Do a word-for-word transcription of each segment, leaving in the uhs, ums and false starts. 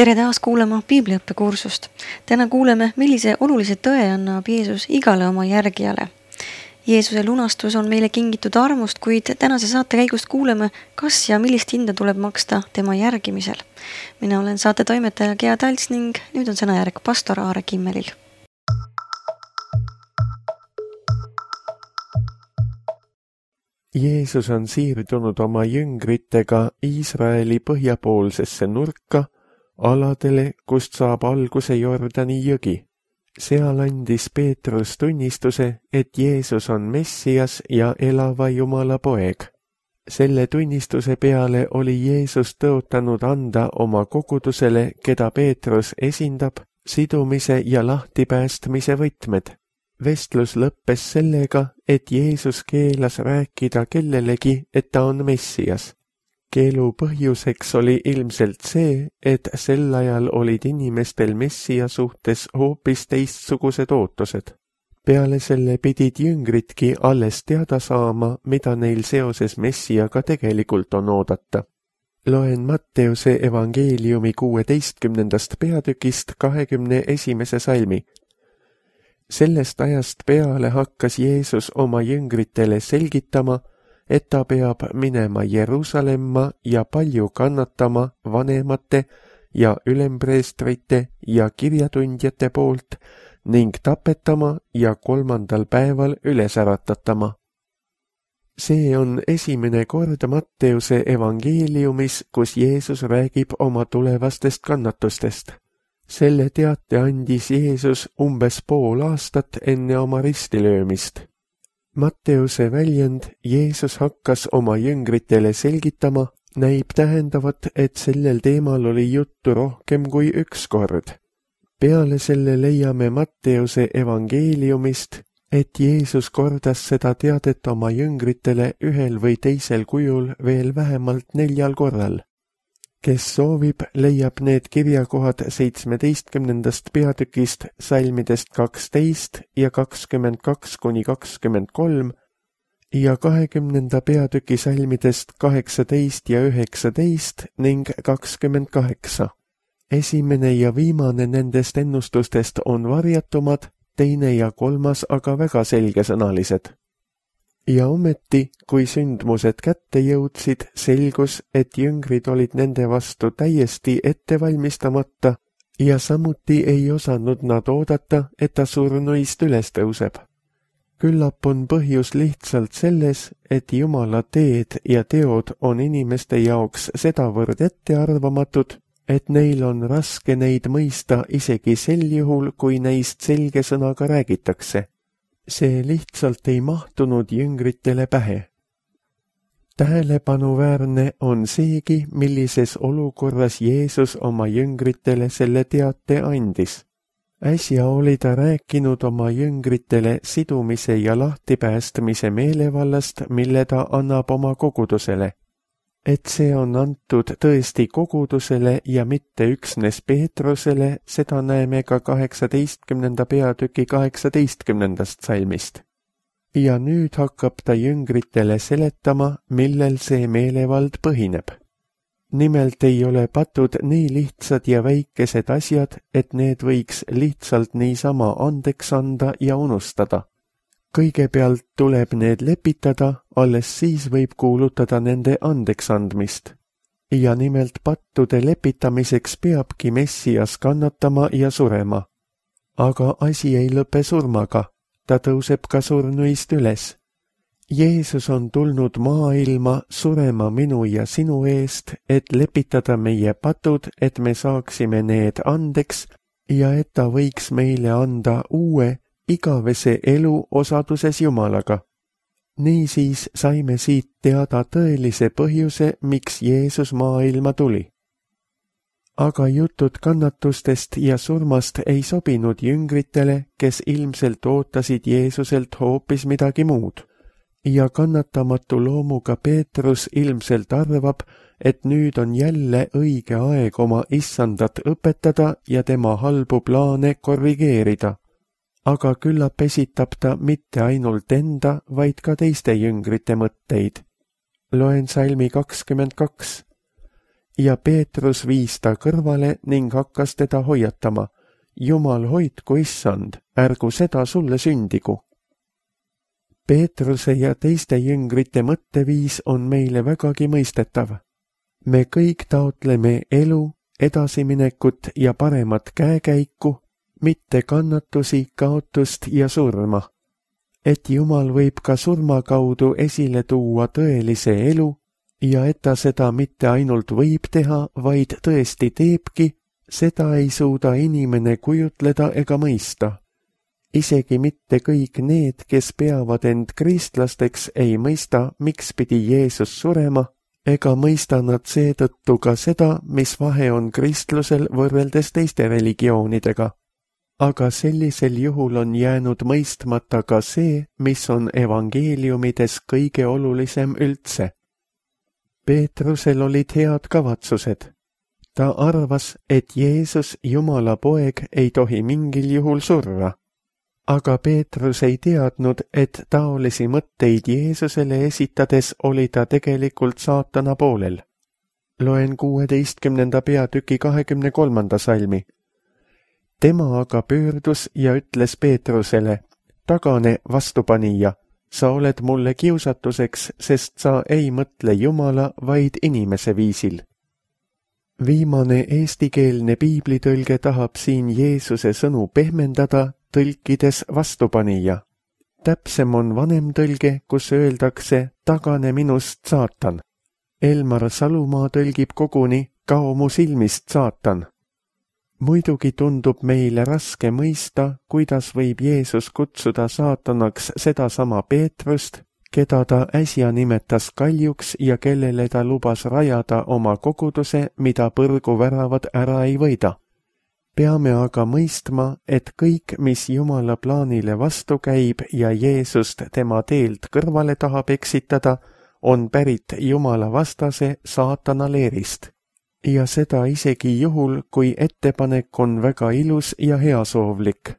Tere taas kuulama piibliõppekursust. Täna kuuleme, millise olulise tõe annab Jeesus igale oma järgijale. Jeesuse lunastus on meile kingitud armust, kuid tänase saate käigust kuuleme, kas ja millist hinda tuleb maksta tema järgimisel. Mina olen saate toimetaja Gea Talts ning nüüd on sõnajärg pastor Aare Kimmelil. Jeesus on siirdunud oma jüngritega Iisraeli põhjapoolsesse nurka, aladele, kust saab alguse Jordani jõgi. Seal andis Peetrus tunnistuse, et Jeesus on Messias ja elava Jumala poeg. Selle tunnistuse peale oli Jeesus tõotanud anda oma kogudusele, keda Peetrus esindab, sidumise ja lahtipäästmise võtmed. Vestlus lõppes sellega, et Jeesus keelas rääkida kellelegi, et ta on Messias. Keelu põhjuseks oli ilmselt see, et sel ajal olid inimestel Messia suhtes hoopis teistsugused ootused. Peale selle pidid jüngritki alles teada saama, mida neil seoses Messiaga tegelikult on oodata. Loen Matteuse evangeeliumi kuueteistkümnendast peatükist kahekümne esimese salmi. Sellest ajast peale hakkas Jeesus oma jüngritele selgitama, et ta peab minema Jeruusalemma ja palju kannatama vanemate ja ülempreestrite ja kirjatundjate poolt ning tapetama ja kolmandal päeval üles äratatama. See on esimene kord Matteuse evangeeliumis, kus Jeesus räägib oma tulevastest kannatustest. Selle teate andis Jeesus umbes pool aastat enne oma ristilöömist. Matteuse väljend Jeesus hakkas oma jüngritele selgitama, näib tähendavat, et sellel teemal oli juttu rohkem kui üks kord. Peale selle leiame Matteuse evangeeliumist, et Jeesus kordas seda teadet oma jüngritele ühel või teisel kujul veel vähemalt neljal korral. Kes soovib, leiab need kirjakohad seitsmeteistkümnendast peatükist salmidest kaksteist ja kakskümmend kaks kuni kakskümmend kolm ja kahekümnenda peatüki salmidest kaheksateist ja üheksateist ning kakskümmend kaheksa. Esimene ja viimane nendest ennustustest on varjatumad, teine ja kolmas aga väga selgesõnalised. Ja ometi, kui sündmused kätte jõudsid, selgus, et jüngrid olid nende vastu täiesti ettevalmistamata ja samuti ei osanud nad oodata, et ta surnuist üles tõuseb. Küllap on põhjus lihtsalt selles, et Jumala teed ja teod on inimeste jaoks sedavõrd ettearvamatud, et neil on raske neid mõista isegi sel juhul, kui neist selge sõnaga räägitakse. See lihtsalt ei mahtunud jüngritele pähe. Tähelepanuväärne on seegi, millises olukorras Jeesus oma jüngritele selle teate andis. Äsja oli ta rääkinud oma jüngritele sidumise ja lahtipäästmise meelevallast, mille ta annab oma kogudusele. Et see on antud tõesti kogudusele ja mitte üksnes Peetrusele, seda näeme ka kaheksateistkümnenda peatüki kaheksateistkümnendast salmist. Ja nüüd hakkab ta jüngritele seletama, millel see meelevald põhineb. Nimelt ei ole patud nii lihtsad ja väikesed asjad, et need võiks lihtsalt niisama andeks anda ja unustada. Kõigepealt tuleb need lepitada, alles siis võib kuulutada nende andeksandmist. Ja nimelt pattude lepitamiseks peabki Messias kannatama ja surema. Aga asi ei lõpe surmaga, ta tõuseb ka surnuist üles. Jeesus on tulnud maailma surema minu ja sinu eest, et lepitada meie patud, et me saaksime need andeks ja et ta võiks meile anda uue, igavese elu osaduses Jumalaga. Niisiis saime siit teada tõelise põhjuse, miks Jeesus maailma tuli. Aga jutud kannatustest ja surmast ei sobinud jüngritele, kes ilmselt ootasid Jeesuselt hoopis midagi muud. Ja kannatamatu loomuga Peetrus ilmselt arvab, et nüüd on jälle õige aeg oma issandat õpetada ja tema halbu plaane korrigeerida. Aga küllap esitab ta mitte ainult enda, vaid ka teiste jüngrite mõtteid. Loen salmi kakskümmend kaks. ja Peetrus viis ta kõrvale ning hakkas teda hoiatama. Jumal hoidku, issand, ärgu seda sulle sündigu. Peetruse ja teiste jüngrite mõtteviis on meile vägagi mõistetav. Me kõik taotleme elu, edasiminekut ja paremat käekäiku, mitte kannatusi, kaotust ja surma. Et Jumal võib ka surma kaudu esile tuua tõelise elu ja et ta seda mitte ainult võib teha, vaid tõesti teebki, seda ei suuda inimene kujutleda ega mõista. Isegi mitte kõik need, kes peavad end kristlasteks, ei mõista, miks pidi Jeesus surema, ega mõista nad seetõttu ka seda, mis vahe on kristlusel võrreldes teiste religioonidega. Aga sellisel juhul on jäänud mõistmata ka see, mis on evangeeliumides kõige olulisem üldse. Peetrusel olid head kavatsused. Ta arvas, et Jeesus, Jumala poeg, ei tohi mingil juhul surra. Aga Peetrus ei teadnud, et taolisi mõtteid Jeesusele esitades oli ta tegelikult saatana poolel. Loen kuueteistkümnenda peatüki kahekümne kolmanda salmi. Tema aga pöördus ja ütles Peetrusele, tagane vastupanija, sa oled mulle kiusatuseks, sest sa ei mõtle Jumala, vaid inimese viisil. Viimane eestikeelne piiblitõlge tahab siin Jeesuse sõnu pehmendada, tõlkides vastupanija. Täpsem on vanem tõlge, kus öeldakse tagane minust, saatan. Elmar Salumaa tõlgib koguni kao mu silmist, saatan. Muidugi tundub meile raske mõista, kuidas võib Jeesus kutsuda saatanaks sedasama Peetrust, keda ta äsja nimetas kaljuks ja kellele ta lubas rajada oma koguduse, mida põrguväravad ära ei võida. Peame aga mõistma, et kõik, mis Jumala plaanile vastu käib ja Jeesust tema teelt kõrvale tahab eksitada, on pärit Jumala vastase saatana leerist. Ja seda isegi juhul, kui ettepanek on väga ilus ja heasoovlik.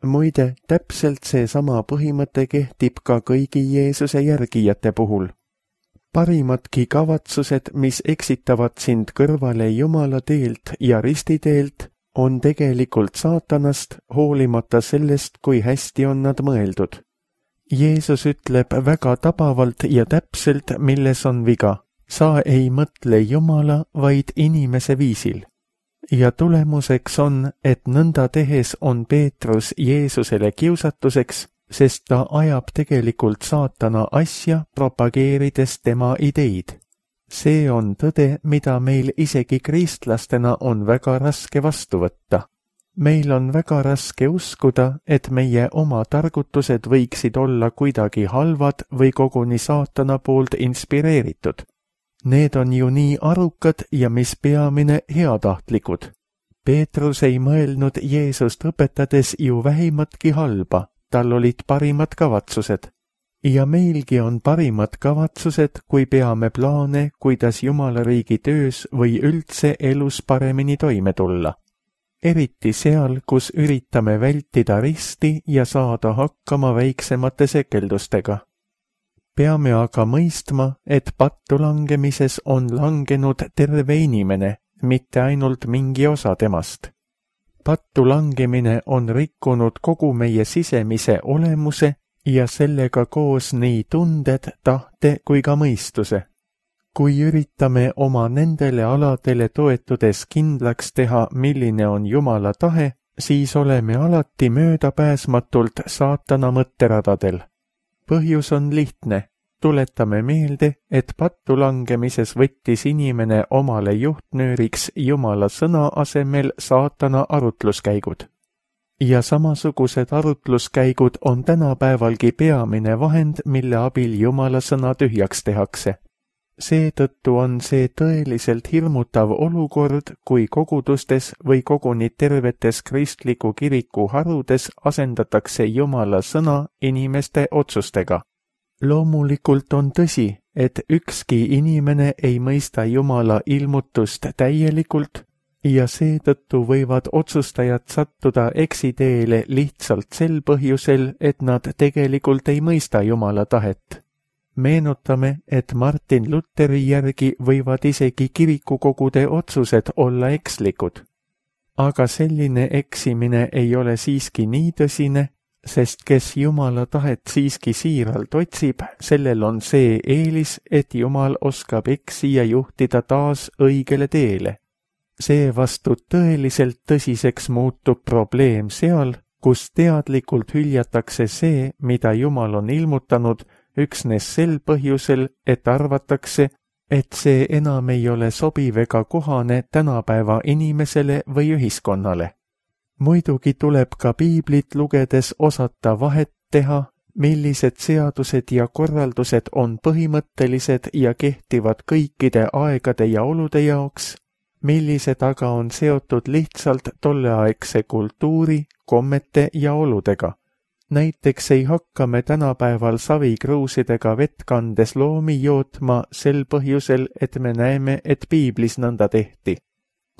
Muide, täpselt seesama põhimõte kehtib ka kõigi Jeesuse järgijate puhul. Parimadki kavatsused, mis eksitavad sind kõrvale Jumala teelt ja ristiteelt, on tegelikult saatanast, hoolimata sellest, kui hästi on nad mõeldud. Jeesus ütleb väga tabavalt ja täpselt, milles on viga. Sa ei mõtle Jumala, vaid inimese viisil. Ja tulemuseks on, et nõnda tehes on Peetrus Jeesusele kiusatuseks, sest ta ajab tegelikult saatana asja, propageerides tema ideid. See on tõde, mida meil isegi kristlastena on väga raske vastu võtta. Meil on väga raske uskuda, et meie oma targutused võiksid olla kuidagi halvad või koguni saatana poolt inspireeritud. Need on ju nii arukad ja mis peamine heatahtlikud. Peetrus ei mõelnud Jeesust õpetades ju vähimatki halba, tal olid parimad kavatsused. Ja meilgi on parimad kavatsused, kui peame plaane, kuidas Jumala riigi töös või üldse elus paremini toime tulla. Eriti seal, kus üritame vältida risti ja saada hakkama väiksemate sekeldustega. Peame aga mõistma, et pattu langemises on langenud terve inimene, mitte ainult mingi osa temast. Pattu langemine on rikkunud kogu meie sisemise olemuse ja sellega koos nii tunded, tahte kui ka mõistuse. Kui üritame oma nendele aladele toetudes kindlaks teha, milline on Jumala tahe, siis oleme alati möödapääsmatult saatana mõtteradadel. Põhjus on lihtne. Tuletame meelde, et pattu langemises võttis inimene omale juhtnööriks Jumala sõna asemel saatana arutluskäigud. Ja samasugused arutluskäigud on tänapäevalgi peamine vahend, mille abil Jumala sõna tühjaks tehakse. Seetõttu on see tõeliselt hirmutav olukord, kui kogudustes või koguni tervetes kristliku kiriku harudes asendatakse Jumala sõna inimeste otsustega. Loomulikult on tõsi, et ükski inimene ei mõista Jumala ilmutust täielikult ja seetõttu võivad otsustajad sattuda eksiteele lihtsalt sel põhjusel, et nad tegelikult ei mõista Jumala tahet. Meenutame, et Martin Lutheri järgi võivad isegi kirikukogude otsused olla ekslikud. Aga selline eksimine ei ole siiski nii tõsine, sest kes Jumala tahet siiski siiralt otsib, sellel on see eelis, et Jumal oskab eksija juhtida taas õigele teele. Seevastu tõeliselt tõsiseks muutub probleem seal, kus teadlikult hüljatakse see, mida Jumal on ilmutanud, üksnes sel põhjusel, et arvatakse, et see enam ei ole sobiv ega kohane tänapäeva inimesele või ühiskonnale. Muidugi tuleb ka piiblit lugedes osata vahet teha, millised seadused ja korraldused on põhimõttelised ja kehtivad kõikide aegade ja olude jaoks, millised aga on seotud lihtsalt tolleaegse kultuuri, kommete ja oludega. Näiteks ei hakka me tänapäeval savikruusidega vett kandes loomi jootma sel põhjusel, et me näeme, et piiblis nõnda tehti.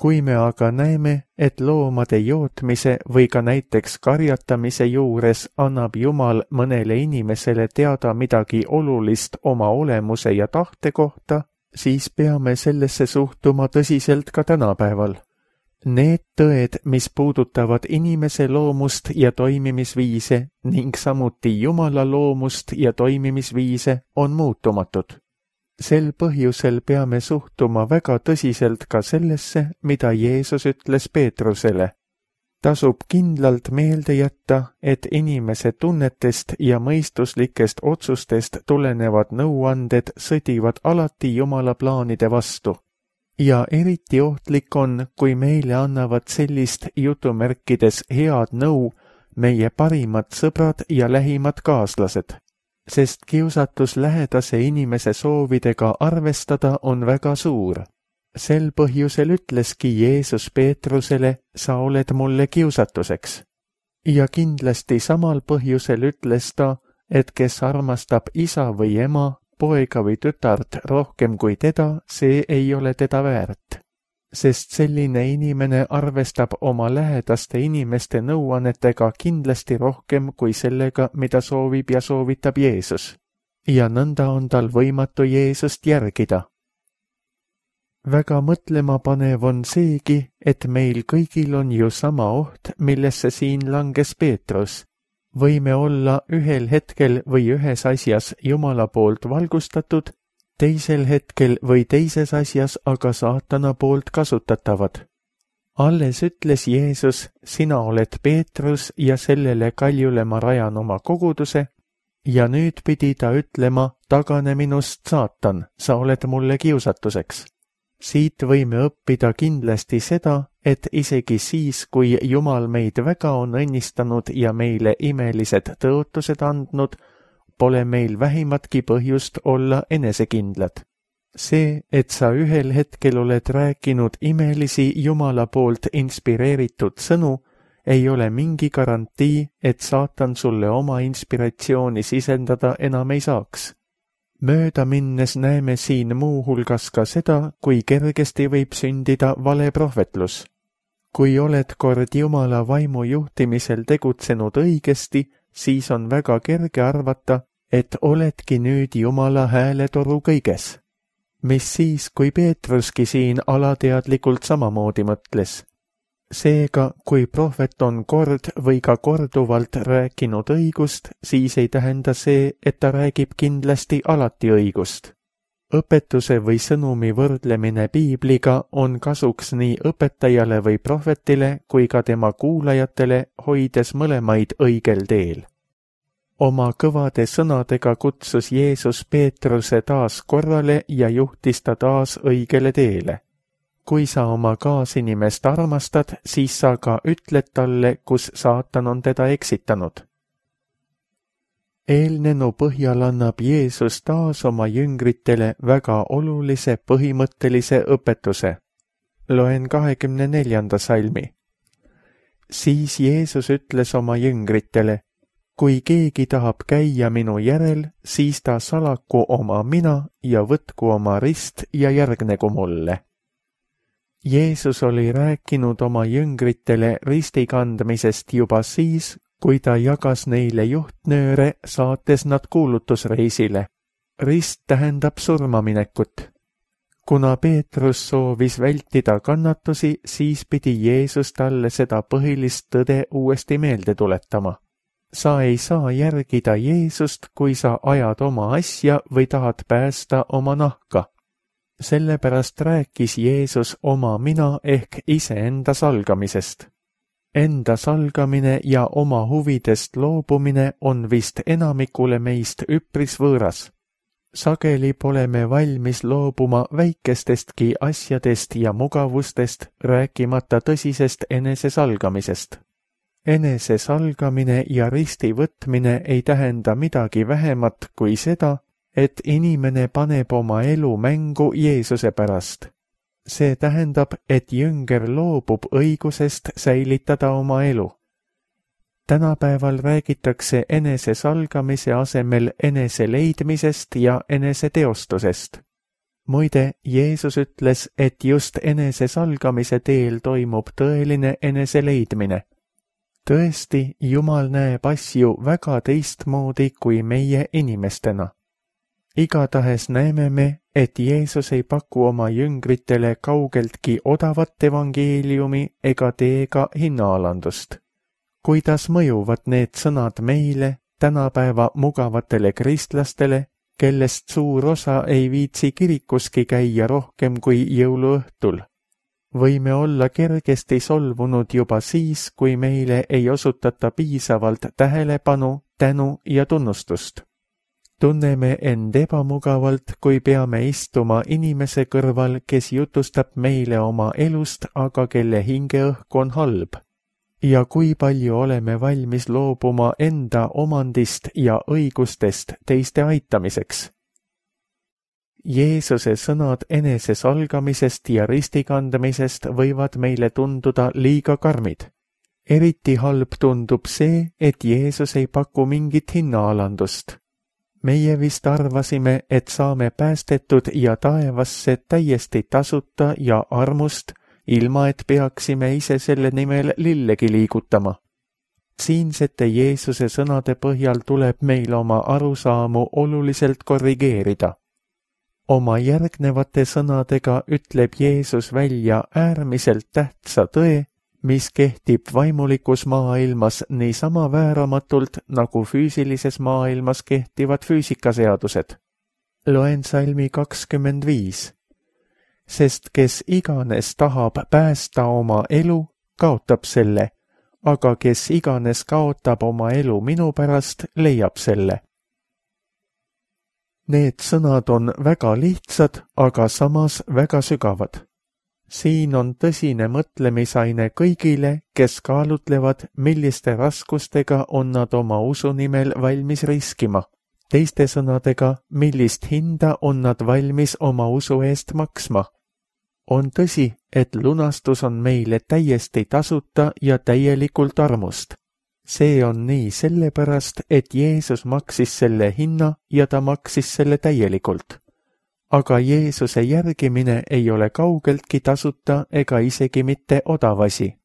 Kui me aga näeme, et loomade jootmise või ka näiteks karjatamise juures annab Jumal mõnele inimesele teada midagi olulist oma olemuse ja tahte kohta, siis peame sellesse suhtuma tõsiselt ka tänapäeval. Need tõed, mis puudutavad inimese loomust ja toimimisviise ning samuti Jumala loomust ja toimimisviise, on muutumatud. Sel põhjusel peame suhtuma väga tõsiselt ka sellesse, mida Jeesus ütles Peetrusele. Tasub kindlalt meelde jätta, et inimese tunnetest ja mõistuslikest otsustest tulenevad nõuanded sõdivad alati Jumala plaanide vastu. Ja eriti ohtlik on, kui meile annavad sellist jutumärkides head nõu meie parimad sõbrad ja lähimad kaaslased, sest kiusatus lähedase inimese soovidega arvestada on väga suur. Sel põhjusel ütleski Jeesus Peetrusele, sa oled mulle kiusatuseks. Ja kindlasti samal põhjusel ütles ta, et kes armastab isa või ema, poega või tütart rohkem kui teda, see ei ole teda väärt. Sest selline inimene arvestab oma lähedaste inimeste nõuannetega kindlasti rohkem kui sellega, mida soovib ja soovitab Jeesus. Ja nõnda on tal võimatu Jeesust järgida. Väga mõtlema panev on seegi, et meil kõigil on ju sama oht, millesse siin langes Peetrus. Võime olla ühel hetkel või ühes asjas Jumala poolt valgustatud, teisel hetkel või teises asjas aga saatana poolt kasutatavad. Alles ütles Jeesus, sina oled Peetrus ja sellele kaljule ma rajan oma koguduse, ja nüüd pidi ta ütlema, tagane minust, saatan, sa oled mulle kiusatuseks. Siit võime õppida kindlasti seda, et isegi siis, kui Jumal meid väga on õnnistanud ja meile imelised tõotused andnud, pole meil vähimatki põhjust olla enesekindlad. See, et sa ühel hetkel oled rääkinud imelisi Jumala poolt inspireeritud sõnu, ei ole mingi garantii, et saatan sulle oma inspiratsiooni sisendada enam ei saaks. Mööda minnes näeme siin muu hulgas ka seda, kui kergesti võib sündida vale prohvetlus. Kui oled kord Jumala vaimu juhtimisel tegutsenud õigesti, siis on väga kerge arvata, et oledki nüüd Jumala hääletoru kõiges. Mis siis, kui Peetruski siin alateadlikult samamoodi mõtles? Seega, kui prohvet on kord või ka korduvalt rääkinud õigust, siis ei tähenda see, et ta räägib kindlasti alati õigust. Õpetuse või sõnumi võrdlemine piibliga on kasuks nii õpetajale või prohvetile kui ka tema kuulajatele, hoides mõlemaid õigel teel. Oma kõvade sõnadega kutsus Jeesus Peetruse taas korrale ja juhtis ta taas õigele teele. Kui sa oma kaasinimest armastad, siis sa ka ütled talle, kus saatan on teda eksitanud. Eelnenu põhjal annab Jeesus taas oma jüngritele väga olulise põhimõttelise õpetuse. Loen kahekümne neljanda salmi. Siis Jeesus ütles oma jüngritele, kui keegi tahab käia minu järel, siis ta salaku oma mina ja võtku oma rist ja järgnegu mulle. Jeesus oli rääkinud oma jüngritele ristikandmisest juba siis, kui ta jagas neile juhtnööre, saates nad kuulutusreisile. rist tähendab surmaminekut. Kuna Peetrus soovis vältida kannatusi, siis pidi Jeesus talle seda põhilist tõde uuesti meelde tuletama. Sa ei saa järgida Jeesust, kui sa ajad oma asja või tahad päästa oma nahka. Sellepärast rääkis Jeesus oma mina ehk iseenda salgamisest. Enda salgamine ja oma huvidest loobumine on vist enamikule meist üpris võõras. Sageli pole me valmis loobuma väikestestki asjadest ja mugavustest, rääkimata tõsisest enesesalgamisest. Enesesalgamine ja risti võtmine ei tähenda midagi vähemat kui seda, et inimene paneb oma elu mängu Jeesuse pärast. See tähendab, et jünger loobub õigusest säilitada oma elu. Tänapäeval räägitakse enesesalgamise asemel eneseleidmisest ja eneseteostusest. Muide, Jeesus ütles, et just enesesalgamise teel toimub tõeline eneseleidmine. Tõesti, Jumal näeb asju väga teistmoodi kui meie inimestena. Igatahes näeme me, et Jeesus ei paku oma jüngritele kaugeltki odavat evangeeliumi ega teega hinnaalandust. Kuidas mõjuvad need sõnad meile, tänapäeva mugavatele kristlastele, kellest suur osa ei viitsi kirikuski käia rohkem kui jõuluõhtul? Võime olla kergesti solvunud juba siis, kui meile ei osutata piisavalt tähelepanu, tänu ja tunnustust. Tunneme end ebamugavalt, kui peame istuma inimese kõrval, kes jutustab meile oma elust, aga kelle hingeõhk on halb. Ja kui palju oleme valmis loobuma enda omandist ja õigustest teiste aitamiseks. Jeesuse sõnad enesesalgamisest ja ristikandamisest võivad meile tunduda liiga karmid. Eriti halb tundub see, et Jeesus ei paku mingit hinnaalandust. Meie vist arvasime, et saame päästetud ja taevasse täiesti tasuta ja armust, ilma et peaksime ise selle nimel lillegi liigutama. Siinsete Jeesuse sõnade põhjal tuleb meil oma arusaamu oluliselt korrigeerida. Oma järgnevate sõnadega ütleb Jeesus välja äärmiselt tähtsa tõe, mis kehtib vaimulikus maailmas niisama vääramatult, nagu füüsilises maailmas kehtivad füüsikaseadused. Loen salmi kakskümmend viis. Sest kes iganes tahab päästa oma elu, kaotab selle, aga kes iganes kaotab oma elu minu pärast, leiab selle. Need sõnad on väga lihtsad, aga samas väga sügavad. Siin on tõsine mõtlemisaine kõigile, kes kaalutlevad, milliste raskustega on nad oma usu nimel valmis riskima. Teiste sõnadega, millist hinda on nad valmis oma usu eest maksma. On tõsi, et lunastus on meile täiesti tasuta ja täielikult armust. See on nii sellepärast, et Jeesus maksis selle hinna ja ta maksis selle täielikult. Aga Jeesuse järgimine ei ole kaugeltki tasuta ega isegi mitte odavasi.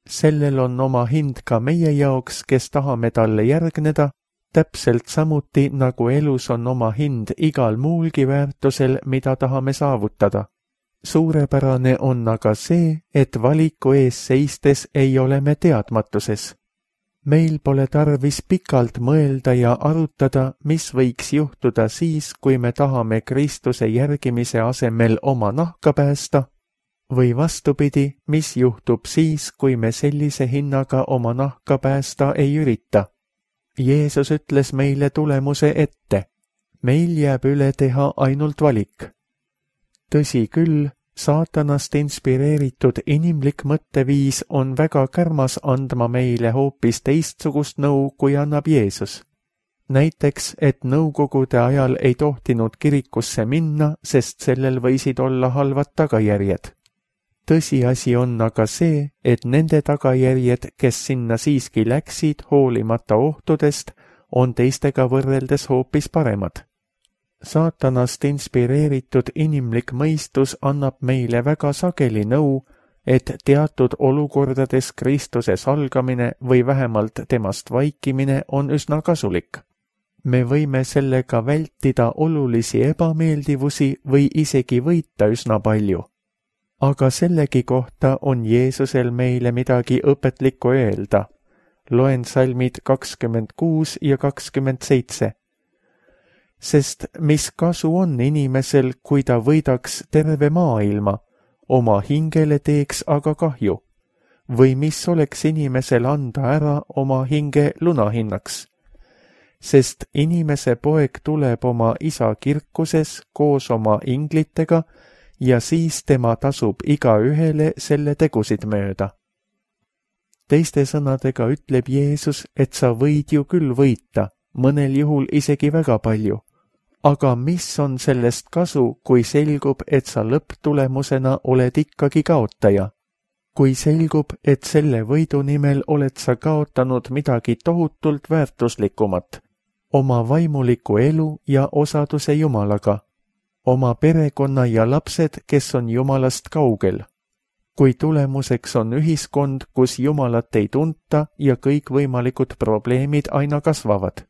Sellel on oma hind ka meie jaoks, kes tahame talle järgneda, täpselt samuti nagu elus on oma hind igal muulgi väärtusel, mida tahame saavutada. Suurepärane on aga see, et valiku ees seistes ei ole me teadmatuses. Meil pole tarvis pikalt mõelda ja arutada, mis võiks juhtuda siis, kui me tahame Kristuse järgimise asemel oma nahka päästa, või vastupidi, mis juhtub siis, kui me sellise hinnaga oma nahka päästa ei ürita. Jeesus ütles meile tulemuse ette. Meil jääb üle teha ainult valik. Tõsi küll, saatanast inspireeritud inimlik mõtteviis on väga kärmas andma meile hoopis teistsugust nõu, kui annab Jeesus. Näiteks, et nõukogude ajal ei tohtinud kirikusse minna, sest sellel võisid olla halvad tagajärjed. Tõsiasi on aga see, et nende tagajärjed, kes sinna siiski läksid hoolimata ohtudest, on teistega võrreldes hoopis paremad. Saatanast inspireeritud inimlik mõistus annab meile väga sageli nõu, et teatud olukordades Kristuse salgamine või vähemalt temast vaikimine on üsna kasulik. me võime sellega vältida olulisi ebameeldivusi või isegi võita üsna palju. Aga sellegi kohta on Jeesusel meile midagi õpetlikku öelda. Loen salmid kakskümmend kuus ja kakskümmend seitse. Sest mis kasu on inimesel, kui ta võidaks terve maailma, oma hingele teeks aga kahju? Või mis oleks inimesel anda ära oma hinge lunahinnaks? Sest inimese poeg tuleb oma isa kirkuses koos oma inglitega ja siis tema tasub iga ühele selle tegusid mööda. Teiste sõnadega ütleb Jeesus, et sa võid ju küll võita, mõnel juhul isegi väga palju. Aga mis on sellest kasu, kui selgub, et sa lõpptulemusena oled ikkagi kaotaja? Kui selgub, et selle võidu nimel oled sa kaotanud midagi tohutult väärtuslikumat, oma vaimuliku elu ja osaduse Jumalaga, oma perekonna ja lapsed, kes on Jumalast kaugel. Kui tulemuseks on ühiskond, kus Jumalat ei tunta ja kõikvõimalikud probleemid aina kasvavad.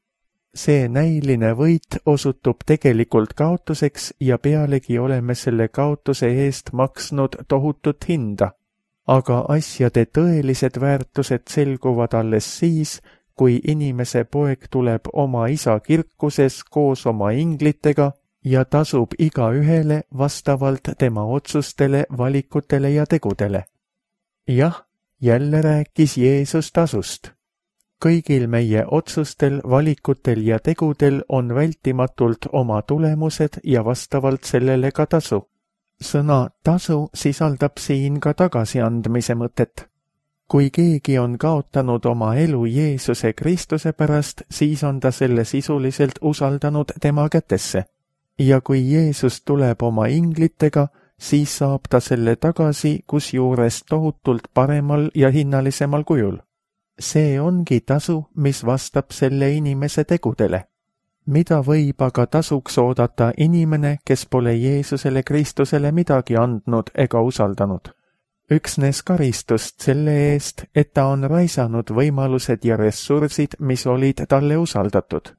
See näiline võit osutub tegelikult kaotuseks ja pealegi oleme selle kaotuse eest maksnud tohutut hinda. Aga asjade tõelised väärtused selguvad alles siis, kui inimese poeg tuleb oma isa kirkuses koos oma inglitega ja tasub iga ühele vastavalt tema otsustele, valikutele ja tegudele. Jah, jälle rääkis Jeesus tasust. Kõigil meie otsustel, valikutel ja tegudel on vältimatult oma tulemused ja vastavalt sellele ka tasu. Sõna tasu sisaldab siin ka tagasiandmise mõtet. Kui keegi on kaotanud oma elu Jeesuse Kristuse pärast, siis on ta selle sisuliselt usaldanud tema kätesse. Ja kui Jeesus tuleb oma inglitega, siis saab ta selle tagasi, kusjuures tohutult paremal ja hinnalisemal kujul. See ongi tasu, mis vastab selle inimese tegudele. Mida võib aga tasuks oodata inimene, kes pole Jeesusele Kristusele midagi andnud ega usaldanud? Üksnes karistust selle eest, et ta on raisanud võimalused ja ressursid, mis olid talle usaldatud.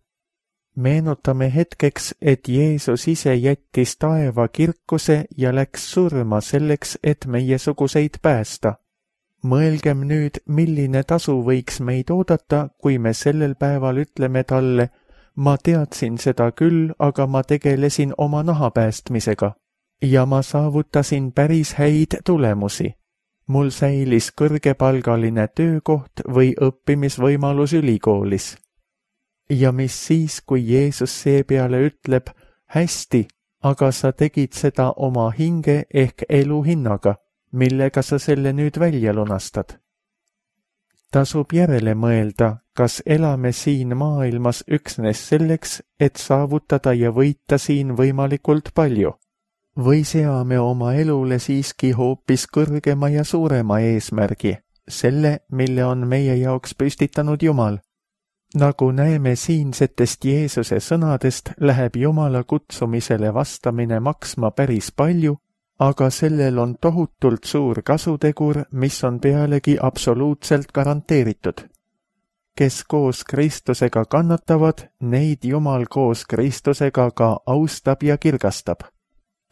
Meenutame hetkeks, et Jeesus ise jättis taeva kirkuse ja läks surma selleks, et meiesuguseid päästa. Mõelgem nüüd, milline tasu võiks meid oodata, kui me sellel päeval ütleme talle, ma teadsin seda küll, aga ma tegelesin oma naha päästmisega. Ja ma saavutasin päris häid tulemusi. Mul säilis kõrgepalgaline töökoht või õppimisvõimalus ülikoolis. Ja mis siis, kui Jeesus seepeale ütleb, hästi, aga sa tegid seda oma hinge ehk elu hinnaga, millega sa selle nüüd välja lunastad? Tasub järele mõelda, kas elame siin maailmas üksnes selleks, et saavutada ja võita siin võimalikult palju. Või seame oma elule siiski hoopis kõrgema ja suurema eesmärgi, selle, mille on meie jaoks püstitanud Jumal. Nagu näeme siinsetest Jeesuse sõnadest, läheb Jumala kutsumisele vastamine maksma päris palju, aga sellel on tohutult suur kasutegur, mis on pealegi absoluutselt garanteeritud. Kes koos Kristusega kannatavad, neid Jumal koos Kristusega ka austab ja kirgastab.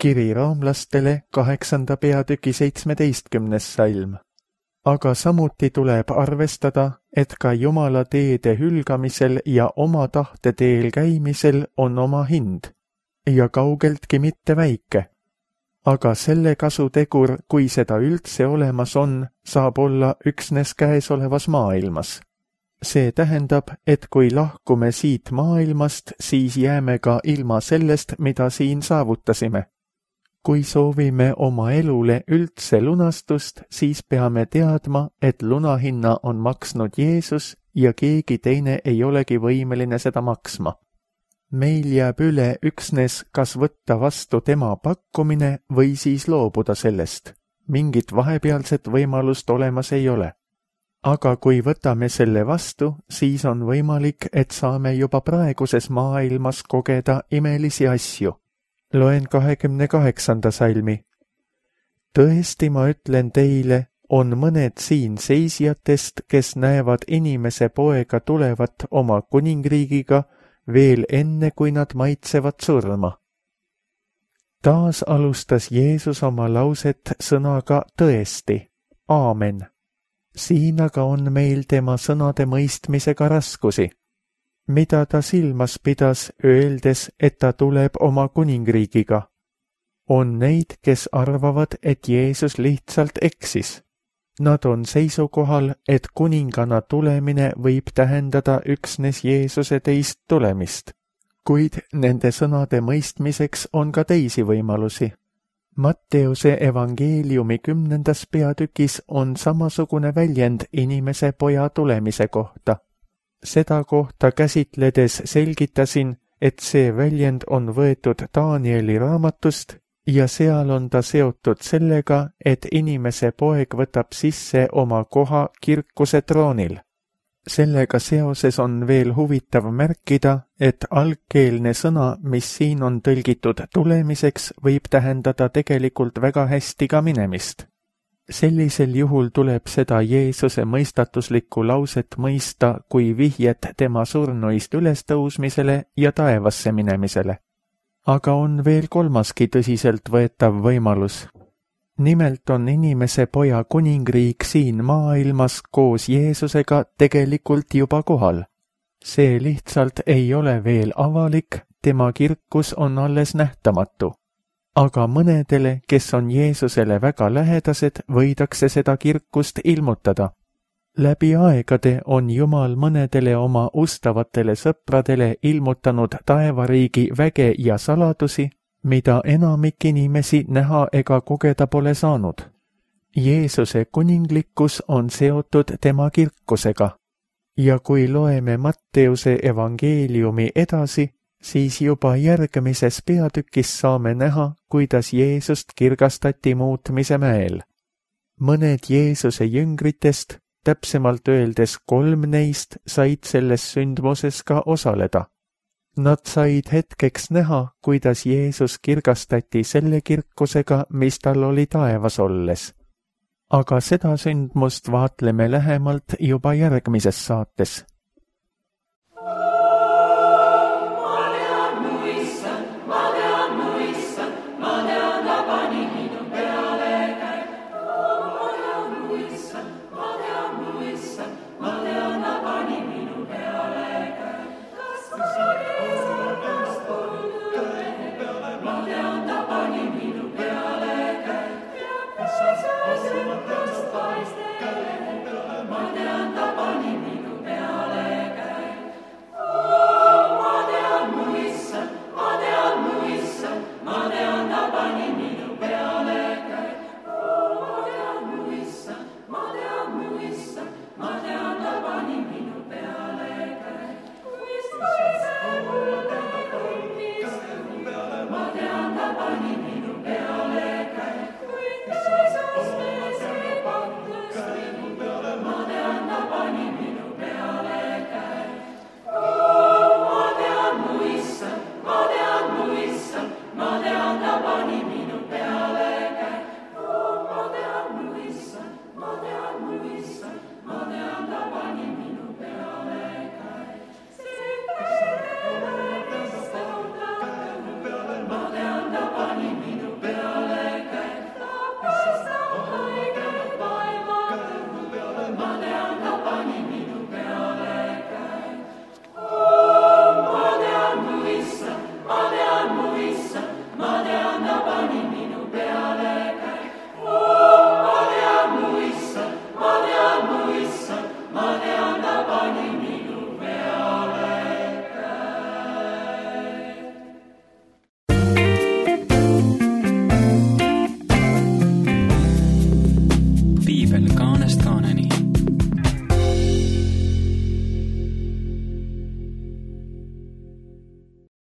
Kiri roomlastele kaheksanda peatüki seitsmeteistkümnes salm. Aga samuti tuleb arvestada, et ka Jumala teede hülgamisel ja oma tahte teel käimisel on oma hind, ja kaugeltki mitte väike. Aga selle kasutegur, kui seda üldse olemas on, saab olla üksnes käesolevas maailmas. See tähendab, et kui lahkume siit maailmast, siis jääme ka ilma sellest, mida siin saavutasime. Kui soovime oma elule üldse lunastust, siis peame teadma, et lunahinna on maksnud Jeesus ja keegi teine ei olegi võimeline seda maksma. Meil jääb üle üksnes kas võtta vastu tema pakkumine või siis loobuda sellest. Mingit vahepealset võimalust olemas ei ole. Aga kui võtame selle vastu, siis on võimalik, et saame juba praeguses maailmas kogeda imelisi asju. Loen kahekümne kaheksanda salmi. Tõesti ma ütlen teile, on mõned siin seisjatest, kes näevad inimese poega tulevat oma kuningriigiga veel enne, kui nad maitsevad surma. Taas alustas Jeesus oma lauset sõnaga tõesti, aamen. Siin aga on meil tema sõnade mõistmisega raskusi. Mida ta silmas pidas, öeldes, et ta tuleb oma kuningriigiga? On neid, kes arvavad, et Jeesus lihtsalt eksis. Nad on seisukohal, et kuningana tulemine võib tähendada üksnes Jeesuse teist tulemist, kuid nende sõnade mõistmiseks on ka teisi võimalusi. Matteuse evangeeliumi kümnendas peatükis on samasugune väljend inimese poja tulemise kohta. Seda kohta käsitledes selgitasin, et see väljend on võetud Danieli raamatust ja seal on ta seotud sellega, et inimese poeg võtab sisse oma koha kirkuse troonil. Sellega seoses on veel huvitav märkida, et algkeelne sõna, mis siin on tõlgitud tulemiseks, võib tähendada tegelikult väga hästi ka minemist. Sellisel juhul tuleb seda Jeesuse mõistatuslikku lauset mõista kui vihjet tema surnuist ülestõusmisele ja taevasse minemisele. Aga on veel kolmaski tõsiselt võetav võimalus. Nimelt on inimese poja kuningriik siin maailmas koos Jeesusega tegelikult juba kohal. See lihtsalt ei ole veel avalik, tema kirkus on alles nähtamatu. Aga mõnedele, kes on Jeesusele väga lähedased, võidakse seda kirkust ilmutada. Läbi aegade on Jumal mõnedele oma ustavatele sõpradele ilmutanud taevariigi väge ja saladusi, mida enamik inimesi näha ega kogeda pole saanud. Jeesuse kuninglikkus on seotud tema kirkusega. Ja kui loeme Matteuse evangeeliumi edasi, siis juba järgmises peatükis saame näha, kuidas Jeesust kirgastati muutmise mäel. Mõned Jeesuse jüngritest, täpsemalt öeldes kolm neist, said selles sündmuses ka osaleda. Nad said hetkeks näha, kuidas Jeesus kirgastati selle kirkusega, mis tal oli taevas olles. Aga seda sündmust vaatleme lähemalt juba järgmises saates.